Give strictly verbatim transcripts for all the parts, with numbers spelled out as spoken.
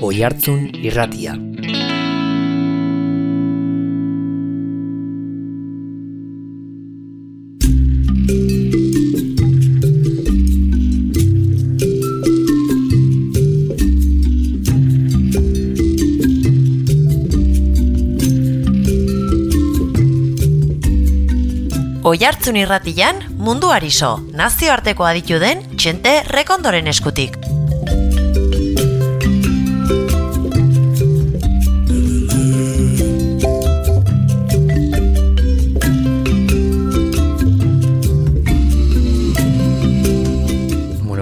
Oihartzun Irratia. Oihartzun Irratian munduari so, nazioarteko aditu den Txente Rekondoren eskutik.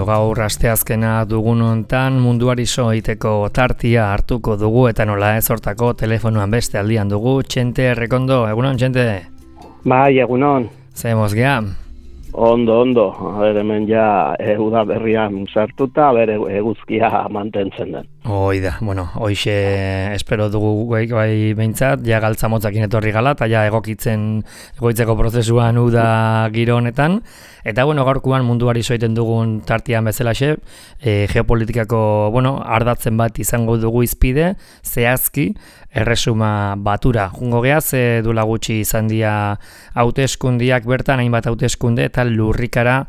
Gaur asteazkena dugun hontan munduari so egiteko tartia hartuko dugu eta nola ez hortako telefonoan beste aldian dugu. Txente Rekondo, egunon Txente? Bai, egunon. Ze mozgea? Ondo, ondo. Ber, hemen ja e, uda berrian sartuta, bere eguzkia mantentzen den. Hoi da, bueno, hoixe espero dugu bai, bai behintzat, ja galtza motzakin etorri gala, eta ja egokitzen egoitzeko prozesuan uda giro honetan. Eta bueno, gaurkoan munduari soiten dugun tartian bezalaxe, e, geopolitikako, bueno, ardatzen bat izango dugu izpide, zehazki, erresuma batura. Jungo geha, ze duela gutxi izan dia hauteskundiak bertan, hainbat hauteskunde, eta lurrikara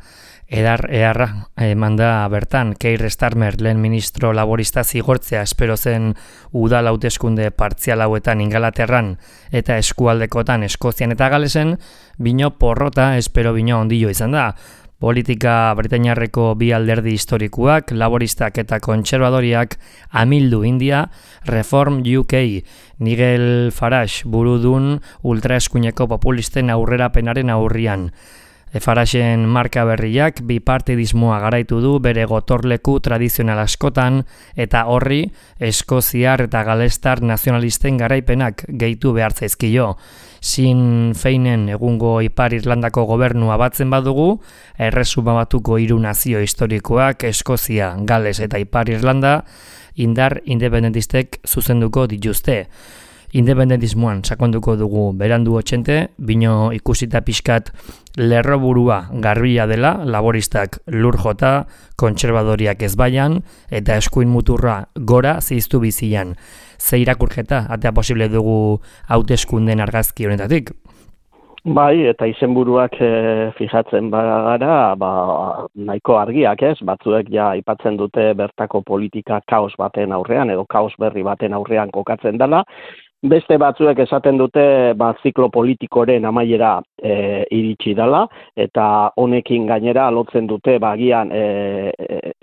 edar eharra eman da bertan. Keir Starmer, lehen ministro laborista zigortzea espero zen udal hauteskunde partzial hauetan Ingalaterran eta eskualdekotan Eskozian eta Galesen, bino porrota espero bino ondillo izan da. Politika britainiarreko bi alderdi historikoak, laboristak eta kontserbadoriak amildu India, Reform U K, Nigel Farage burudun ultraeskuineko populisten aurrerapenaren aurrian. Faragen marka berriak bipartidismoa garaitu du bere gotorleku tradizional askotan eta horri eskoziar eta galestar nazionalisten garaipenak gehitu behar zaizkio. Sinn Feinen egungo Ipar Irlandako gobernua batzen badugu, erresuma batuko hiru nazio historikoak Eskozia, Gales eta Ipar Irlanda indar independentistek zuzenduko dituzte. Independentismoan sakonduko dugu berandu Txente, bino ikusita pixkat lerroburua garbia dela, laboristak lur jota, kontserbadoriak ezbaian, eta eskuin muturra gora ziztu bizian. Ze irakurketa, atea posible dugu hauteskunden argazki honetatik? Bai, eta izenburuak e, fijatzen bagara, ba, nahiko argiak ez, batzuek ja aipatzen dute bertako politika kaos baten aurrean, edo kaos berri baten aurrean kokatzen dela. Beste batzuek esaten dute ba, ziklo politikoren amaiera e, iritsi dela, eta honekin gainera lotzen dute bagian e, e,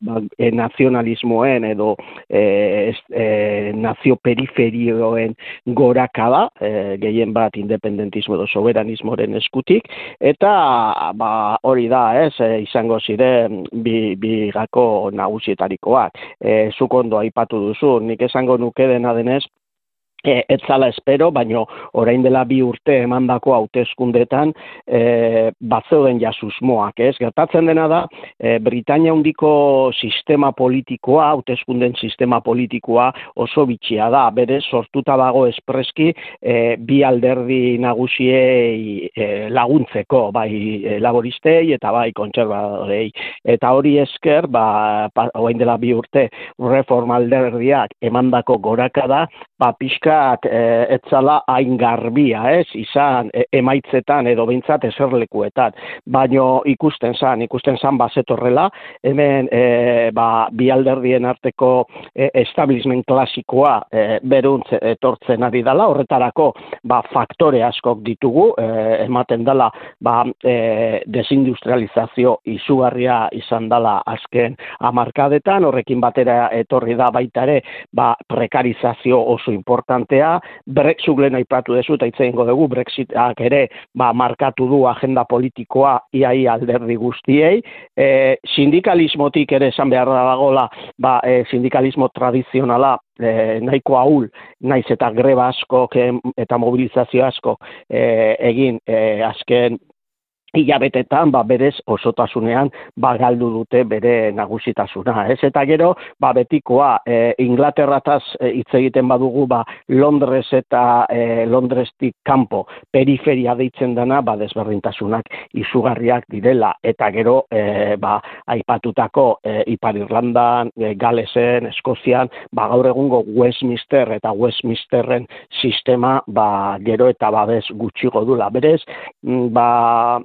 ba, e, nazionalismoen edo e, e, nazio periferioen gorakada, e, gehien bat independentismo edo soberanismoren eskutik, eta ba, hori da, ez, e, izango ziren bi, bi gako nagusietarikoak. E, zuk ondo aipatu duzu, nik esango nuke dena denez, E, ez zala espero, baino orain dela bi urte emandako hauteskundetan e, batzeuden ja susmoak, ez? Gertatzen dena da, e, Britainia handiko sistema politikoa, hauteskunden sistema politikoa oso bitxia da, bere sortuta dago espreski e, bi alderdi nagusiei e, laguntzeko, bai e, laboristei eta bai kontserbadorei. Eta hori esker, ba, pa, orain dela bi urte Reform alderdiak emandako gorakada, ba, pixka E, etzala hain garbia, ez, izan e, emaitzetan edo behintzat eserlekuetan, baino ikusten zan, ikusten zan bazetorrela, hemen e, ba, bi alderdien arteko e, establishment klasikoa e, beruntz etortzen ari dela, horretarako ba, faktore askok ditugu, e, ematen dela ba, e, desindustrializazio izugarria izan dela azken hamarkadetan, horrekin batera etorri da baita ere ba, prekarizazio oso importante. Brexit lehen aipatu dezu eta hitz egingo dugu, Brexitak ere ba, markatu du agenda politikoa iaia alderdi guztiei. E, sindikalismotik ere esan behar dagoela, ba, e, sindikalismo tradizionala e, nahiko ahul, naiz eta greba asko eta mobilizazio asko e, egin e, azken hilabetetan ba berez osotasunean ba galdu dute bere nagusitasuna, ez? Eta gero ba betikoa e, Inglaterrataz hitz e, egiten badugu ba Londres eta e, Londrestik kanpo periferia deitzen dana ba desberdintasunak izugarriak direla, eta gero e, ba aipatutako e, Ipar Irlandan, e, Galesen, Eskozian, ba gaur egungo Westminster eta Westminsterren sistema ba gero eta babes gutxigo dula. Berez ba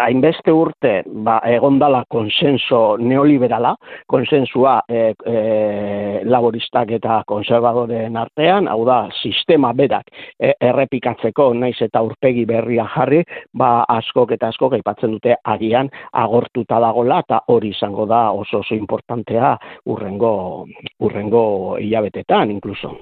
hainbeste urte ba, egondala konsenso neoliberala, konsensua e, e, laboristak eta konservadoren artean, hau da, sistema berak e, errepikatzeko naiz eta aurpegi berria jarri, ba askok eta askok aipatzen dute agian agortuta dagola, eta hori izango da oso oso importantea urrengo, urrengo hilabetetan, inkluso.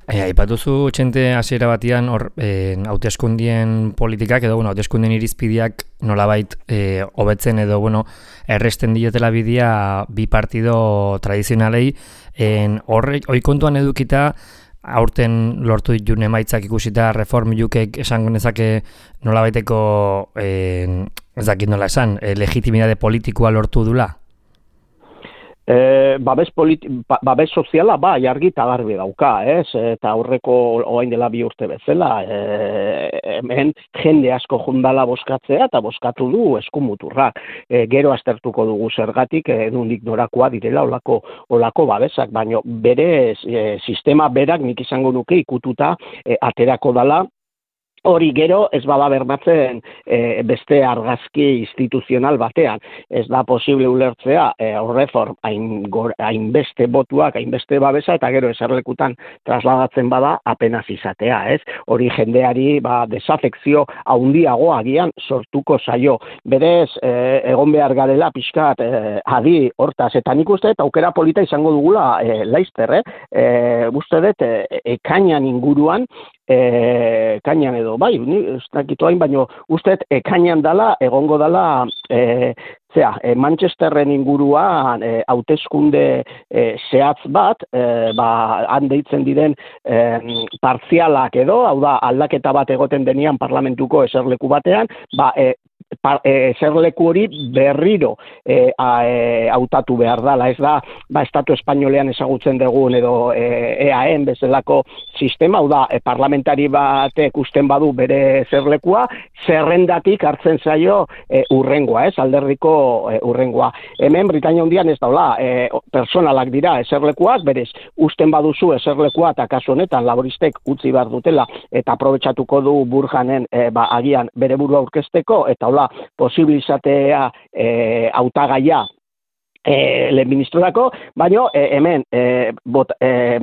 E, aipatuzu txente hasiera batian hor e, hauteskundien politikak edo bueno, hauteskundien irizpideak nolabait e, hobetzen edo bueno, erresten dietela bidea bi partido tradizionalei, en horrek oi kontuan edukita aurten lortu ditun emaitzak ikusita Reform U Kek esango nezake nolabaiteko e, ez dakit nola esan, e, legitimidade politikoa lortu dula? E, babes, politi, ba, babes soziala ba, jargi eta garbi dauka, ez? Eta aurreko orain dela bi urte bezala, e, hemen jende asko jundala boskatzea eta boskatu du eskumuturrak. E, gero aztertuko dugu zergatik, edundik norakoa direla olako, olako babesak, baina bere e, sistema berak nik izango nuke ikututa e, aterako dala. Hori gero ez bada bermatzen e, beste argazki instituzional batean. Ez da posible ulertzea e, Reform hainbeste botuak, hainbeste babesa, eta gero eserlekutan trasladatzen bada apenas izatea, ez? Hori jendeari ba, desafekzio haundiago agian sortuko zaio. Berez, e, egon behar garela pixkat e, adi hortaz, eta nik uste dut aukera polita izango dugula e, laizter, eh? E, uste dut e, ekainan inguruan, E, ekainan edo, bai, ni ez dakitu hain, baino uste ekainan dala, egongo dala, e, zera, e, Manchesterren inguruan e, hauteskunde e, zehatz bat, e, ba, han deitzen diren e, partzialak edo, hau da, aldaketa bat egoten denean parlamentuko eserleku batean, ba, e, Par, e, zerleku hori berriro e, a, e, hautatu behar dela, ez da, ba, Estatu Espainolean ezagutzen dugun edo e, E A N bezalako sistema, hau da, e, parlamentari batek usten badu bere zerlekua, zerrendatik hartzen zaio e, urrengoa, ez, alderdiko e, urrengoa. Hemen Britainia Handian ez daula, e, personalak dira eserlekuak, berez, usten baduzu eserlekua eta kasu honetan laboristek utzi behar dutela eta aprobetxatuko du Burjanen e, ba, agian bere burua aurkezteko, eta hola, posibilizatea e, hautagaia E, lehen ministrorako, baina e, hemen e, bot, e,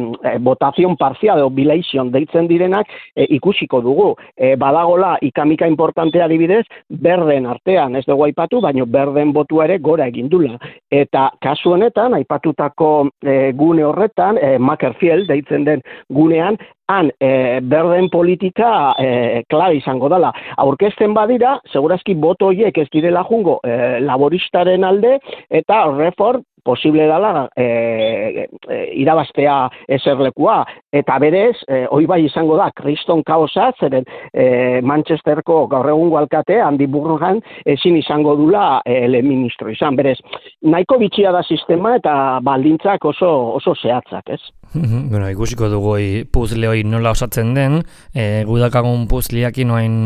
votazion parzial o bilation deitzen direnak e, ikusiko dugu. E, badagola ikamika importantea adibidez, berden artean ez dugu aipatu, baina berden botua ere gora egindula. Eta kasu honetan, aipatutako e, gune horretan, e, Makerfield deitzen den gunean, han e, berden politika e, klabe izango dela. Aurkezten badira, segurazki boto horiek ez direla jungo e, laboristaren alde, eta Reform posible dela e, e, irabaztea eserlekua. Eta berez, e, hoi bai izango da, kriston kaosa, zeren e, Manchesterko gaur egungo alkate, Andy Burnham, ezin izango dula e, lehen ministro izan. Berez, nahiko bitxia da sistema eta baldintzak oso, oso zehatzak, ez? Bueno, ikusiko dugu puzle hori nola osatzen den, e, gudakagun puzliakin noain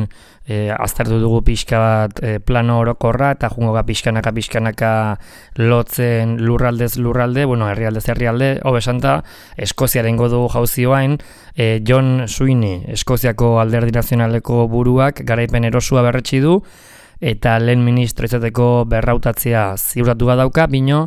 e, aztertu dugu pixka bat e, plano orokorra eta jungo ga pixkanaka pixkanaka lotzen lurraldez lurralde, bueno, herrialdez herrialde, hobesanta, Eskoziaren godu jauzioain, e, John Sweeney, Eskoziako alderdi nazionaleko buruak garaipen erosua berretsi du, eta lehen ministro izateko berrautatzea ziurtatu badauka, bino,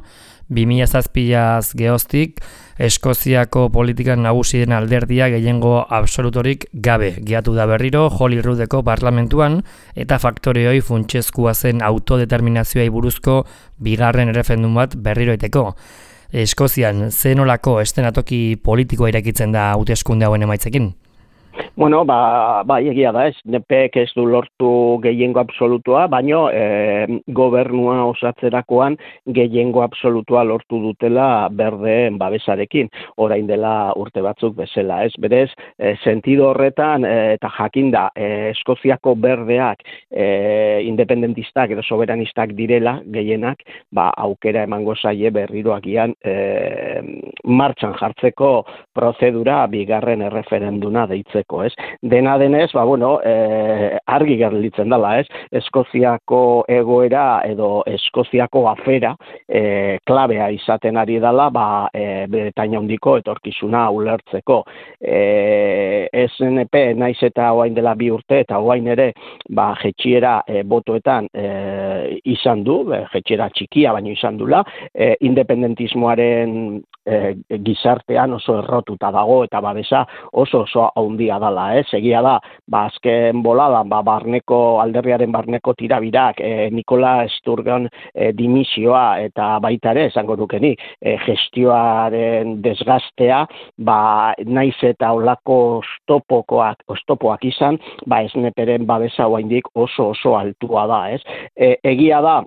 bi mila zazpiaz geoztik, Eskoziako politikan nagusien alderdia gehiengo absolutorik gabe. Giatu da berriro Holyroodeko parlamentuan eta faktoreoi funtsezkoa zen autodeterminazioai buruzko bigarren erreferendum bat berriro iteko. Eskozian zenolako estenatoki politikoa irekitzen da hauteskunde hauen emaitzekin? Bueno, ba, ba, egia da ez, N P ek ez du lortu gehiengo absolutua, baino e, gobernua osatzerakoan gehiengo absolutua lortu dutela berdeen babesarekin, orain dela urte batzuk bezala, ez? Berez, e, sentido horretan, e, eta jakinda, e, Eskoziako berdeak e, independentistak edo soberanistak direla gehienak, ba, aukera emango zaie berriro agian e, martxan jartzeko prozedura bigarren erreferenduna deitzeko, ez? Dena denez, ba, bueno, e, argi gerlitzen dela, ez? Eskoziako egoera edo Eskoziako afera e, klabea izaten ari dela, ba, e, Bretaña handiko etorkizuna ulertzeko. E, S N P naiz eta orain dela bi urte eta orain ere, ba, jetxiera e, botoetan e, izan du, e, jetxiera txikia baino izan dula, e, independentismoaren e, gizartean oso errotuta dago eta babesa oso oso handia dala, ez? Egia da, ba, azken boladan, ba, barneko, alderriaren barneko tirabirak, e, Nikola Sturgeon e, dimisioa eta baita ere, esango nukeni, e, gestioaren desgastea, ba, naiz eta olako oztopokoak, oztopoak izan, ba, S N P-ren babesa oraindik oso oso altua da, ez? E, egia da,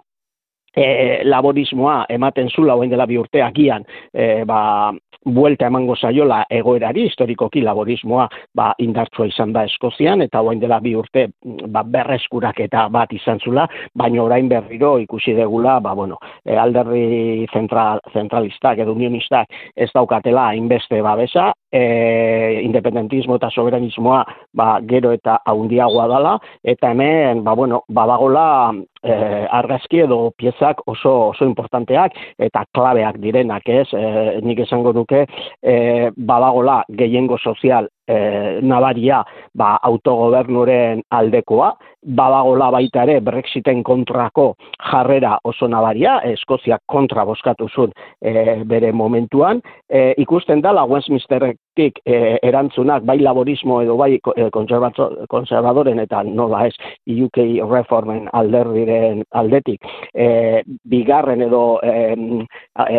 E, laborismoa ematen zula orain dela bi urte agian e, ba, buelta emango zaiola egoerari, historikoki laborismoa ba, indartsua izan da Eskozian eta orain dela bi urte ba, berreskuraketa bat izan zula, baina orain berriro ikusi degula, ba, bueno, e, alderdi zentral, zentralistak edo unionistak ez daukatela hainbeste babesa, e, independentismo eta soberanismoa ba, gero eta haundiagoa dala, eta hemen ba, bueno, badagola Eh, argazki edo piezak oso oso importanteak eta klabeak direnak, ez? Eh, nik esango nuke eh, badagola gehiengo sozial eh, nabaria ba, autogobernuren aldekoa, badagola baita ere Brexiten kontrako jarrera oso nabaria, Eskoziak kontra bozkatu zuen eh, bere momentuan, eh, ikusten dela Westminsterretik eh, erantzunak bai laborismo edo bai konservadoren eta nola ez U K Reformen alderdiren aldetik e, bigarren edo e,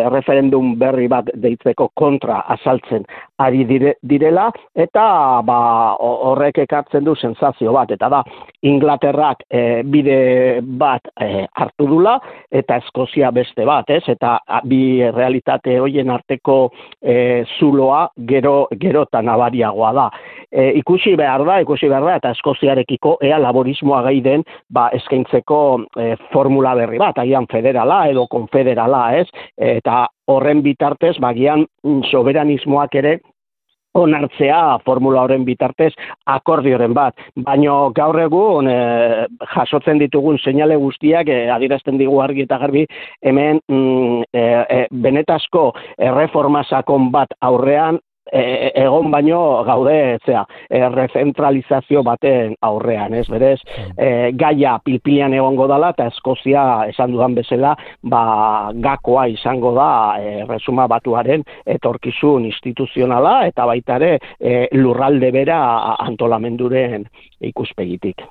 referendum berri bat deitzeko kontra azaltzen ari dire, direla eta ba, horrek ekartzen du sensazio bat, eta da Inglaterrak e, bide bat e, hartu dula eta Eskozia beste bat, ez? Eta bi realitate hoien arteko e, zuloa gero gero eta nabariagoa da. E, ikusi behar da, ikusi behar da, eta Eskoziarekiko ea laborismoa gai den ba, eskaintzeko e, formula berri bat, agian federala edo konfederala, ez? Eta horren bitartez, bagian soberanismoak ere onartzea formula horren bitartez akordioren bat. Baino gaur egun e, jasotzen ditugun seinale guztiak e, adierazten digu argi eta garbi hemen mm, e, e, benetazko erreforma sakon bat aurrean E, egon baino gaude zea, errezentralizazio baten aurrean, ez berez, e, gaia pilpilean egongo dala eta Eskozia esan dudan bezala, ba, gakoa izango da e, resuma batuaren etorkizun instituzionala eta baita ere e, lurralde bera antolamenduren ikuspegitik.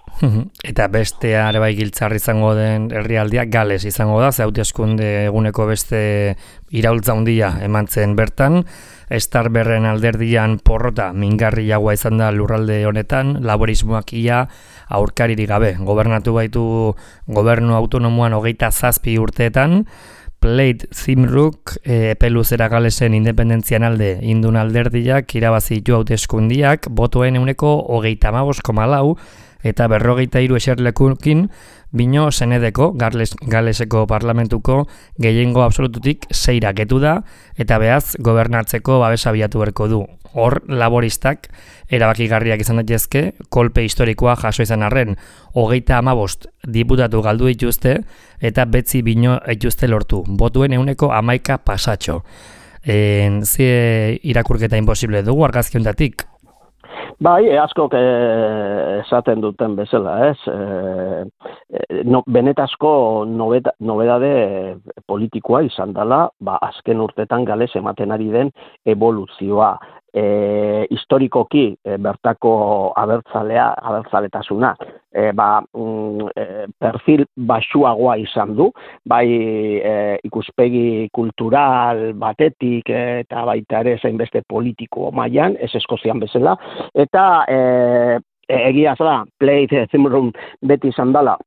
Eta beste are bai giltzar izango den herrialdia Gales izango da, ze hauteskunde eguneko beste iraultza handia eman zen bertan. Starmerren alderdian porrota mingarriagoa izan da lurralde honetan, laborismoak ia aurkaririk gabe. Gobernatu baitu gobernu autonomoan hogeita zazpi urteetan, Plaid Cymruc epeluzera Galesen independentzian alde indun alderdiak irabazitu hauteskundiak botoen euneko hogeita hamabost koma lau eta berrogeita hiru eserlekukin bino senedeko Gales, Galeseko parlamentuko gehiengo absolututik seira getu da eta behaz gobernatzeko babesa bilatu berko du. Hor laboristak erabakigarriak izan daitezke, kolpe historikoa jaso izan arren, hogeita hamabost diputatu galdu dituzte eta betzi bino dituzte lortu. Botuen euneko hamaika pasatxo. En, zie irakurketa imposible dugu argazki honetatik? Bai, askok eh, esaten duten bezala, ez? Eh, no, benetazko nobeda, nobedade politikoa izan dela, ba, azken urtetan Gales ematen ari den evoluzioa. e, historikoki e, bertako abertzalea, abertzaletasuna, e, ba, mm, e, perfil baxuagoa izan du, bai e, ikuspegi kultural batetik e, eta baita ere zainbeste politiko mailan, ez Eskozian bezala, eta e, egia zela, Plaid Cymru beti izan dela,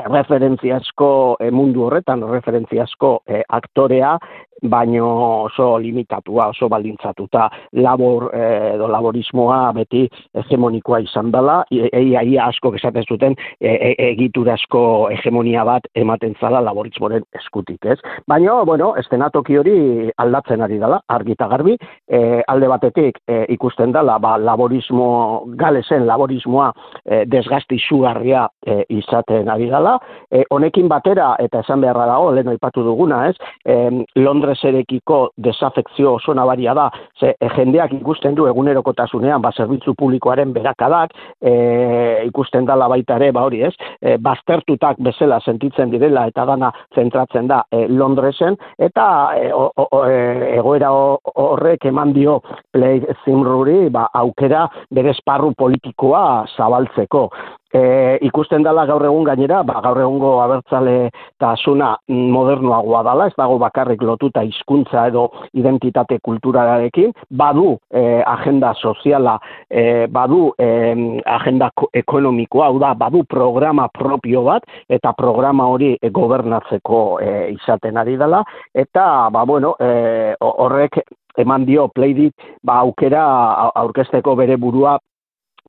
referentziazko e, mundu horretan, referentziazko e, aktorea, baino oso limitatua, oso baldintzatuta, labor e, edo laborismoa beti hegemonikoa izan dela, eia ia asko esaten zuten e, e, egiturazko hegemonia bat ematen zala laborismoren eskutik, ez? Baina, bueno, estenatoki hori aldatzen ari dela, argi eta garbi, e, alde batetik e, ikusten dela, ba, laborismo, galesen laborismoa e, desgasti izugarria e, izaten ari dela, e, honekin batera, eta esan beharra dago, lehen aipatu duguna, ez? E, Londreserekiko desafekzio oso nabaria da, ze e, jendeak ikusten du egunerokotasunean, ba, zerbitzu publikoaren berakadak, e, ikusten dela baita ere, ba hori ez, e, baztertutak bezala sentitzen direla eta dana zentratzen da e, Londresen, eta e, o, o, e, egoera horrek eman dio Plaid Cymruri ba, aukera bere esparru politikoa zabaltzeko. E, ikusten dela gaur egun gainera, ba, gaur egungo abertzale tasuna modernoagoa dela, ez dago bakarrik lotuta hizkuntza edo identitate kulturalarekin, badu e, agenda soziala, e, badu e, agenda ekonomikoa, hau da, badu programa propio bat, eta programa hori e, gobernatzeko e, izaten ari dela, eta, ba, bueno, e, horrek eman dio Plaidi ba, aukera aurkezteko bere burua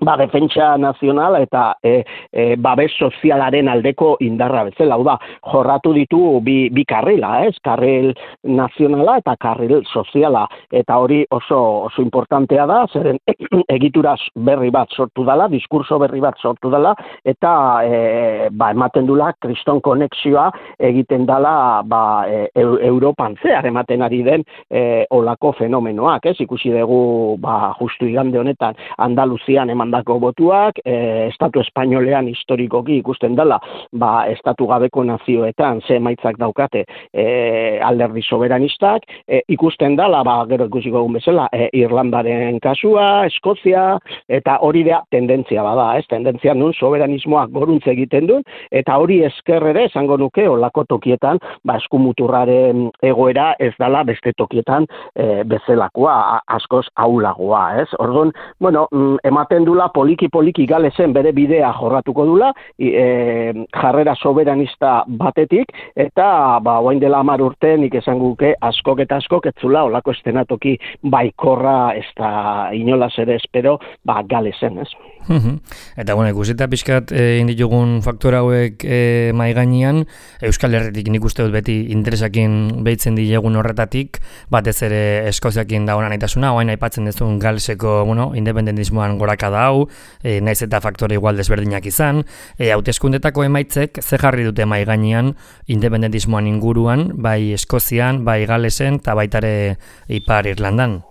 ba, defentsa nazional eta e, e, babes sozialaren aldeko indarra bezala, hau da, jorratu ditu bi, bi karrila, ez? Karril nazionala eta karril soziala, eta hori oso, oso importantea da, zeren egituraz berri bat sortu dela, diskurso berri bat sortu dela, eta e, ba, ematen dula kriston konexioa egiten dela ba, e, Europan zehar ematen ari den e, olako fenomenoak, ez? Ikusi dugu ba, justu igande honetan Andaluzian eman dako botuak, e, Estatu Espainolean historikoki ikusten dela, ba, estatu gabeko nazioetan ze emaitzak daukate e, alderdi soberanistak, e, ikusten dela, ba, gero ikusiko egun bezala, e, Irlandaren kasua, Eskozia, eta hori da tendentzia bada, ez? Tendentzia nun soberanismoak goruntze egiten du, eta hori esker ere esango nuke olako tokietan, ba, eskumuturraren egoera ez dela beste tokietan e, bezalakoa, askoz ahulagoa, ez? Orduan, bueno, ematen du poliki-poliki galesen bere bidea jorratuko dula, e, jarrera soberanista batetik, eta ba, oain dela hamar urte nik esan guke askok eta askok etzula olako estenatoki baikorra ez da inolaz ere espero ba, galesen, ez? Eta, bueno, ikusita pixkat e, inditugun faktor hauek e, mai gainean, Euskal Herritik nik uste dut beti interesakin behitzen dilegun horretatik, batez ere Eskoziakin dagoen nahitasuna, oain aipatzen dezun galeseko, bueno, independentismoan goraka da hau, e, naiz eta faktore igual desberdinak izan, e, hauteskundetako emaitzek ze jarri dute mai gainean independentismoan inguruan, bai Eskozian, bai Galesen, eta baitare Ipar Irlandan.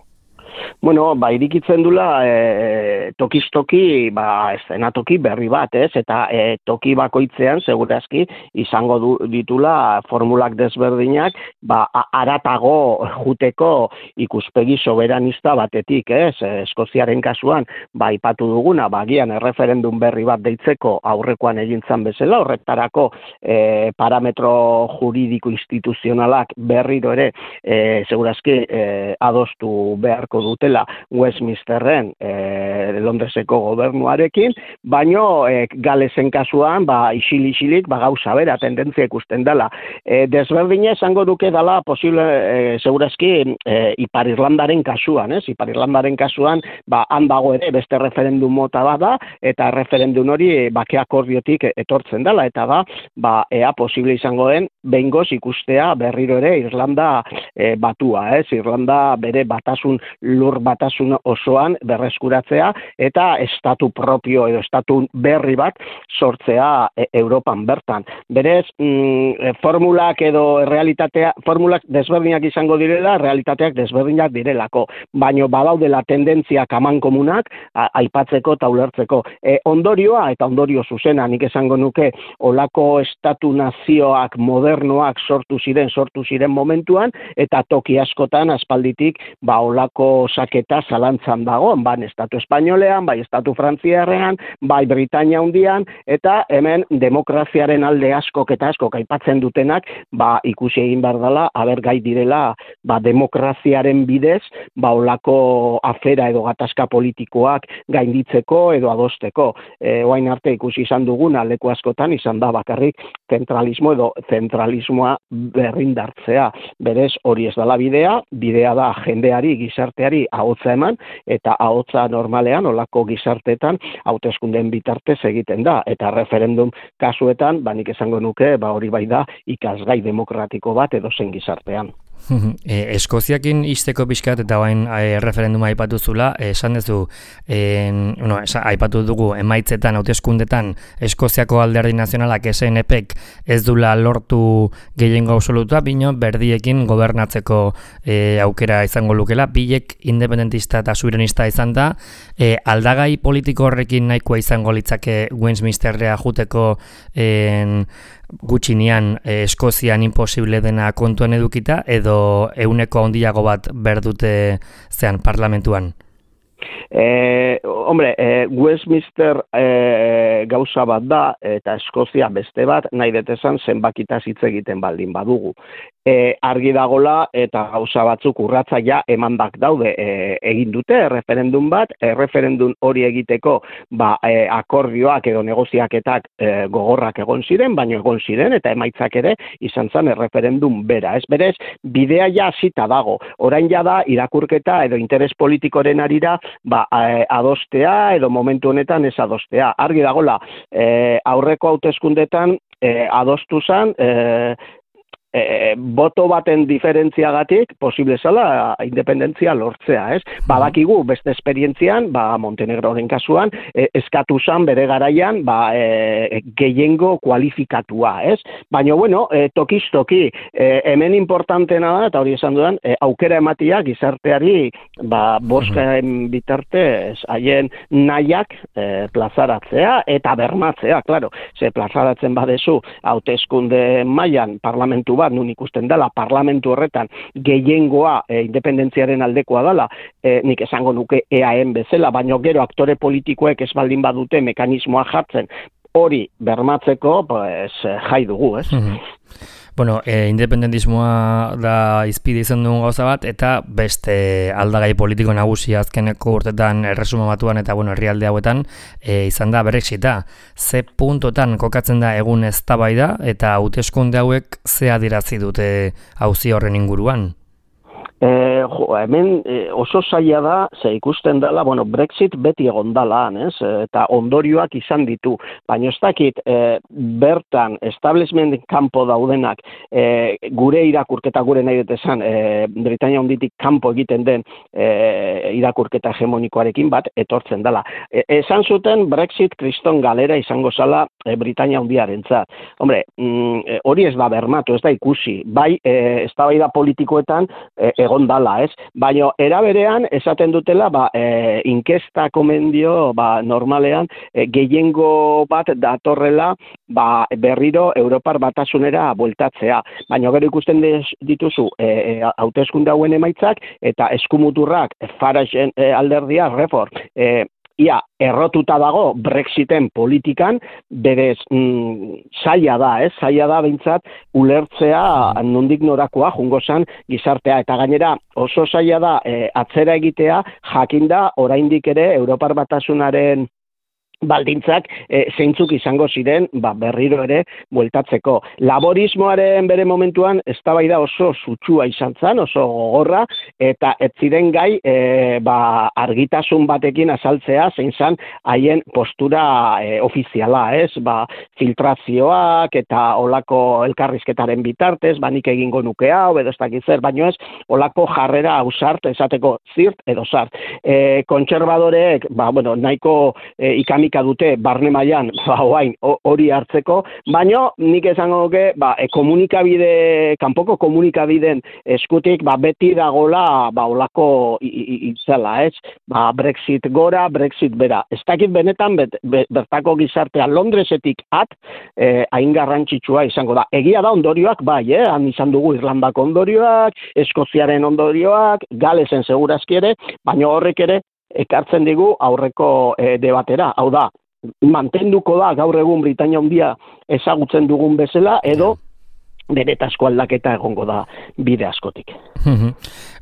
Bueno, ba, irikitzen dula e, tokiz-toki, ba, eszenatoki berri bat, ez? Eta e, toki bakoitzean, segurazki, izango du, ditula formulak desberdinak, ba, aratago juteko ikuspegi soberanista batetik, ez? Eskoziaren kasuan, ba, ipatu duguna, ba, gian erreferendum berri bat deitzeko aurrekoan egintzan bezala, horretarako e, parametro juridiko instituzionalak berriro ere, e, segurazki, e, adostu beharko dute Westminsterren e, Londreseko gobernuarekin, baino e, Galesen kasuan ba, isil-isilik ba, gauza bera, tendentzia ikusten dela. E, desberdina esango duke dela posible, e, segurazki, e, Ipar Irlandaren kasuan, ez? Ipar Irlandaren kasuan, ba, han dago ere beste referendum mota bat da, eta referendum hori e, bake akordiotik etortzen dela, eta da, ba, ea posible izango den, behingoz ikustea berriro ere Irlanda e, batua, ez? Irlanda bere batasun lur batasun osoan berreskuratzea eta estatu propio edo estatu berri bat sortzea e, Europan bertan. Berez, mm, formulak edo realitatea, formulak desberdinak izango direla, realitateak desberdinak direlako, baino badaudela tendentziak amankomunak a, aipatzeko eta ulertzeko. E, ondorioa eta ondorio zuzena, nik esango nuke olako estatu nazioak modernoak sortu ziren, sortu ziren momentuan, eta toki askotan aspalditik ba olako osaketa zalantzan dagoen, ban estatu espainolean, bai estatu frantziarrean, bai Britania hundian, eta hemen demokraziaren alde askok eta askok aipatzen dutenak, ba ikusi egin behar dela, aber gai direla, ba demokraziaren bidez, ba olako afera edo gatazka politikoak gainditzeko edo adosteko. E, oain arte ikusi izan duguna leku askotan izan da bakarrik zentralismo edo zentralismoa berrindartzea. Berez hori ez dela bidea, bidea da jendeari, gizarteari ahotsa eman, eta ahotsa normalean olako gizarteetan hauteskundeen bitartez egiten da, eta referendum kasuetan, ba nik esango nuke, ba hori bai da ikasgai demokratiko bat edo zen gizartean. E, Eskoziakin izteko pixkat eta bain e, referenduma aipatu zula, esan duzu, e, no, esa, aipatu dugu emaitzetan, hauteskundetan Eskoziako alderdi nazionalak S N Pk ez dula lortu gehiengo absolutua, bino berdiekin gobernatzeko e, aukera izango lukela, bilek independentista eta suverenista izan da, e, aldagai politiko horrekin nahikoa izango litzake Westminsterrea juteko en, gutxinean eh, Eskozian imposible dena kontuan edukita edo euneko handiago bat berdute zean parlamentuan? Eh, hombre, eh, Westminster eh, gauza bat da eta Eskozia beste bat, nahi detesan zenbakitaz hitz egiten baldin badugu. E, argi dagola eta gauza batzuk urratza ja emandak daude e, egin dute referendum bat, e, referendum hori egiteko ba, e, akordioak edo negoziaketak e, gogorrak egon ziren, baino egon ziren eta emaitzak ere izan zen referendum bera. Ez berez, bidea ja hasita dago, orain ja da irakurketa edo interes politikoren arira ba, e, adostea edo momentu honetan ez adostea. Argi dagola, e, aurreko hauteskundetan e, adostu zen, e, E, boto baten diferentziagatik posible zala independentzia lortzea, ez? Badakigu beste esperientzian, ba Montenegroren kasuan, e, eskatu zan bere garaian, ba e, gehiengo kualifikatua, ez? Baina bueno, e, tokiz toki, e, hemen importantena da eta hori esan dudan, e, aukera ematia gizarteari, ba boskaen bitartez haien nahiak e, plazaratzea eta bermatzea, claro. Ze plazaratzen badezu hauteskunde mailan parlamentu bat nun ikusten dela parlamentu horretan gehiengoa e, independentziaren aldekoa dela, e, nik esango nuke E A N bezala, baino gero aktore politikoek ez baldin badute mekanismoa jartzen hori bermatzeko, pues, jai dugu, ez? Bueno, e, independentismoa da izpide izan dugun gauza bat, eta beste aldagai politiko nagusi azkeneko urtetan erresuma batuan eta bueno, herrialde hauetan e, izan da Brexita. Ze puntotan kokatzen da egun eztabaida eta hauteskunde hauek ze adierazi dute auzi horren inguruan? E, jo, hemen e, oso zaila da, ze ikusten dela, bueno, Brexit beti egon dela, ez? Eta ondorioak izan ditu, baina ez dakit e, bertan establishment kanpo daudenak e, gure irakurketa gure nahi detezan, e, Britania Handitik kanpo egiten den e, irakurketa hegemonikoarekin bat etortzen dela. E, esan zuten Brexit kriston galera izango zala e, Britania Handiarentzat. Hombre, mm, hori ez da bermatu, ez da ikusi, bai e, eztabaida politikoetan e, egon dala, ez? Baina era berean esaten dutela, ba, e, inkesta komendio, ba, normalean e, gehiengo bat datorrela, ba, berriro Europar Batasunera bueltatzea. Baina gero ikusten dituzu e, hauteskunde hauen emaitzak eta eskumuturrak Farage e, alderdia Reform e, ia errotuta dago Brexiten politikan, berez mm, zaila da, ez? Zaila da behintzat ulertzea nondik norakoa jungo zan gizartea, eta gainera oso zaila da e, atzera egitea, jakinda oraindik ere Europar Batasunaren baldintzak e, zeintzuk izango ziren ba, berriro ere bueltatzeko. Laborismoaren bere momentuan eztabaida oso sutsua izan zen, oso gogorra, eta ez ziren gai e, ba, argitasun batekin azaltzea zein zen haien postura e, ofiziala, ez? Ba, filtrazioak eta olako elkarrizketaren bitartez, ba, nik egingo nuke hau, edo ez dakit zer, baino ez, olako jarrera ausart, esateko zirt edo zart. E, kontserbadoreek, ba, bueno, nahiko e, ikami dinamika dute barne mailan ba orain hori hartzeko, baino nik esango nuke ba komunikabide kanpoko komunikabideen eskutik ba beti dagola ba holako itzela, ez? Ba Brexit gora, Brexit bera. Ez dakit benetan bet, bet, bertako gizartea Londresetik at eh, hain garrantzitsua izango da. Egia da ondorioak bai, eh? Han izan dugu Irlandako ondorioak, Eskoziaren ondorioak, Galesen segurazki ere, baina horrek ere ekartzen digu aurreko eh, debatera. Hau da, mantenduko da gaur egun Britainia Handia ezagutzen dugun bezala edo benetazko aldaketa egongo da bide askotik.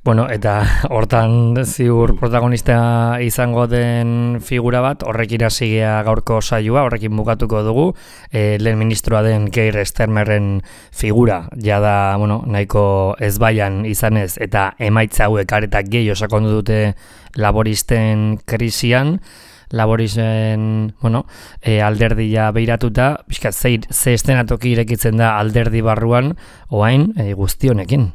Bueno, eta hortan ziur protagonista izango den figura bat, horrek irasigea gaurko saioa, horrekin bukatuko dugu, e, lehen ministroa den Keir Starmerren figura, jada, bueno, nahiko ezbaian izanez, eta emaitza hauek aretak gehi sakondu dute laboristen krisian, laborisen, bueno, e, alderdia beiratuta, pixka, ze, ze estenatoki irekitzen da alderdi barruan, oain e, guztionekin.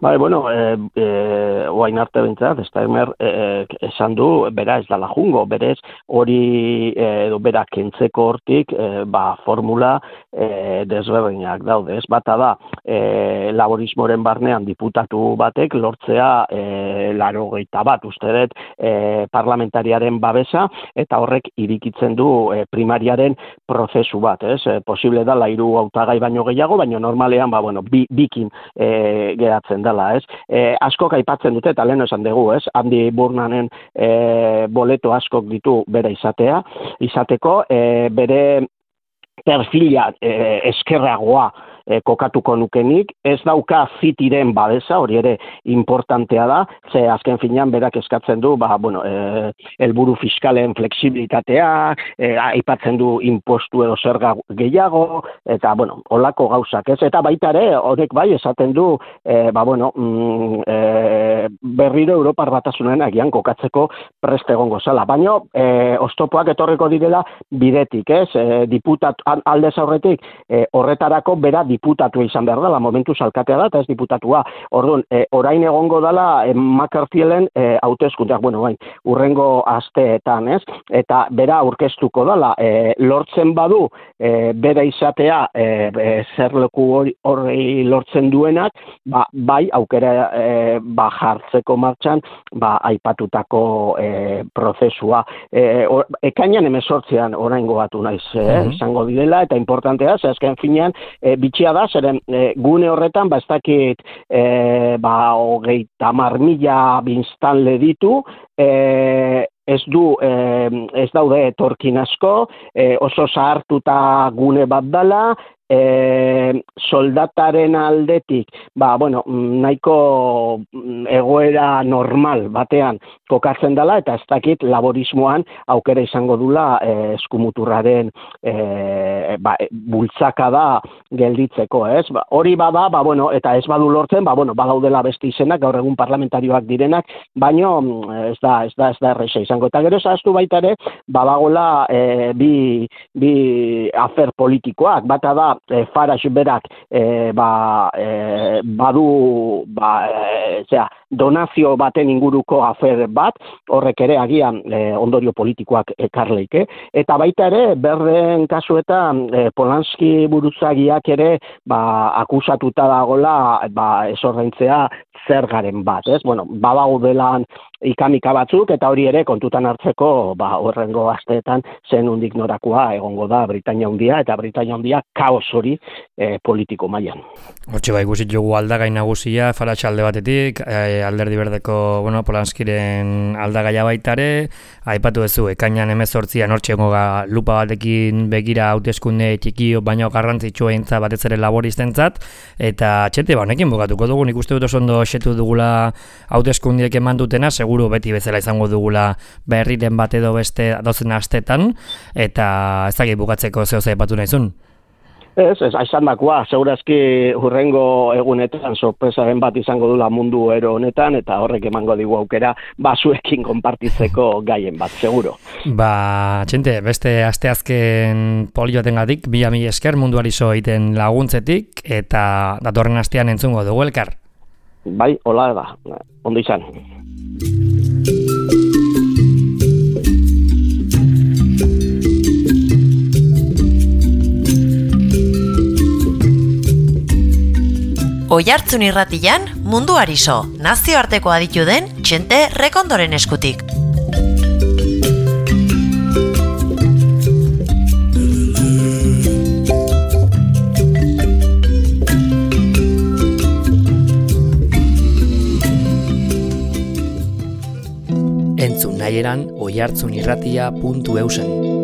Bai, bueno, eh, eh, oain arte bintzat, Starmer eh, esan du, bera ez dala jungo, berez hori edo eh, bera kentzeko hortik, eh, ba, formula eh, desberdinak daude, ez bata da, eh, laborismoren barnean diputatu batek lortzea eh, larogeita bat, uste dut, eh, parlamentariaren babesa, eta horrek irikitzen du eh, primariaren prozesu bat, ez? Eh, posible da, lairu hautagai baino gehiago, baino normalean, ba, bueno, bi, bikin eh, geratzen dela, ez? E, askok aipatzen dute, eta lehen esan dugu, ez? Andy Burnanen e, boleto askok ditu bere izatea, izateko, e, bere perfila e, eskerragoa e, kokatuko nukenik, ez dauka Citiren babesa, hori ere importantea da, ze azken finean berak eskatzen du, ba, bueno, e, helburu fiskalen flexibilitatea, e, aipatzen du impostu edo zerga gehiago, eta, bueno, holako gauzak, ez? Eta baita ere, horrek bai, esaten du, e, ba, bueno, mm, e, berriro Europar Batasunen agian kokatzeko prest egongo zala. Baina, e, oztopoak etorreko direla bidetik, ez? E, diputat, aldez aurretik, e, horretarako bera diputatua izan behar dela, momentu salkatea da, eta ez diputatua. Orduan, e, orain egongo dela e, McCarthyelen e, hauteskundeak, bueno, bain, urrengo asteetan, ez? Eta bera aurkeztuko dela, e, lortzen badu, e, bera izatea, e, e, zer leku horri lortzen duenak, ba, bai, aukera e, ba, jartzeko martxan, ba, aipatutako e, prozesua. E, or, ekainan emezortzean oraingo batu naiz, e, uh-huh. izango direla, eta importantea, ze azken finean, e, bitxia da, zeren e, gune horretan, ba, ez dakit, e, ba, hogeita hamar mila biztanle ditu, e, ez du, e, ez daude etorkin asko, e, oso zahartuta gune bat dela, E, soldataren aldetik, ba, bueno, nahiko egoera normal batean kokatzen dela, eta ez dakit laborismoan aukera izango dula e, eskumuturraren e, ba, bultzaka da gelditzeko, ez? Ba, hori bada, ba, bueno, eta ez badu lortzen, ba, bueno, badaudela beste izenak, gaur egun parlamentarioak direnak, baino ez da, ez da, ez da erresa izango. Eta gero zahaztu baita ere, badagola e, bi, bi afer politikoak, bata da, E, Farage berak e, ba, e, badu ba, e, zera, donazio baten inguruko afer bat, horrek ere agian e, ondorio politikoak ekarleike, eta baita ere berden kasuetan e, Polanski buruzagiak ere ba, akusatuta dagola ba, esordaintzea zergaren bat, ez? Bueno, badaudelan ikamika batzuk, eta hori ere kontutan hartzeko ba, horrengo asteetan zen undik norakoa egongo da Britainia Handia, eta Britainia Handia kaos hori e, politiko mailan. Hortxe bai, guzit jogu aldagai nagusia, Farage alde batetik, e, alderdi berdeko, bueno, Polanskiren aldagaia baitare, aipatu duzu, ekainan hemezortzian hortxe gonga lupa batekin begira hauteskunde txikio, baino garrantzitsua entza batez ere laboristentzat, eta txete, ba, honekin bukatuko dugu, nik uste dut oso ondo setu dugula hauteskundiek eman dutena, seguru beti bezala izango dugula berriren bat edo beste dozen astetan, eta ez dakit bukatzeko zeo aipatu nahizun. Ez, ez, aizan dakoa, segurazki hurrengo egunetan sorpresaren bat izango dula mundu ero honetan, eta horrek emango digu aukera basuekin konpartitzeko gaien bat, seguro. Ba, txente, beste asteazken polioatengatik, bila mila esker munduari zo egiten laguntzetik, eta datorren astean entzungo dugu elkar. Bai, hola da, ondo izan. Oihartzun irratian, munduari so, nazioarteko aditu den Txente Rekondoren eskutik. Entzun nahieran oihartzunirratia puntu eusen.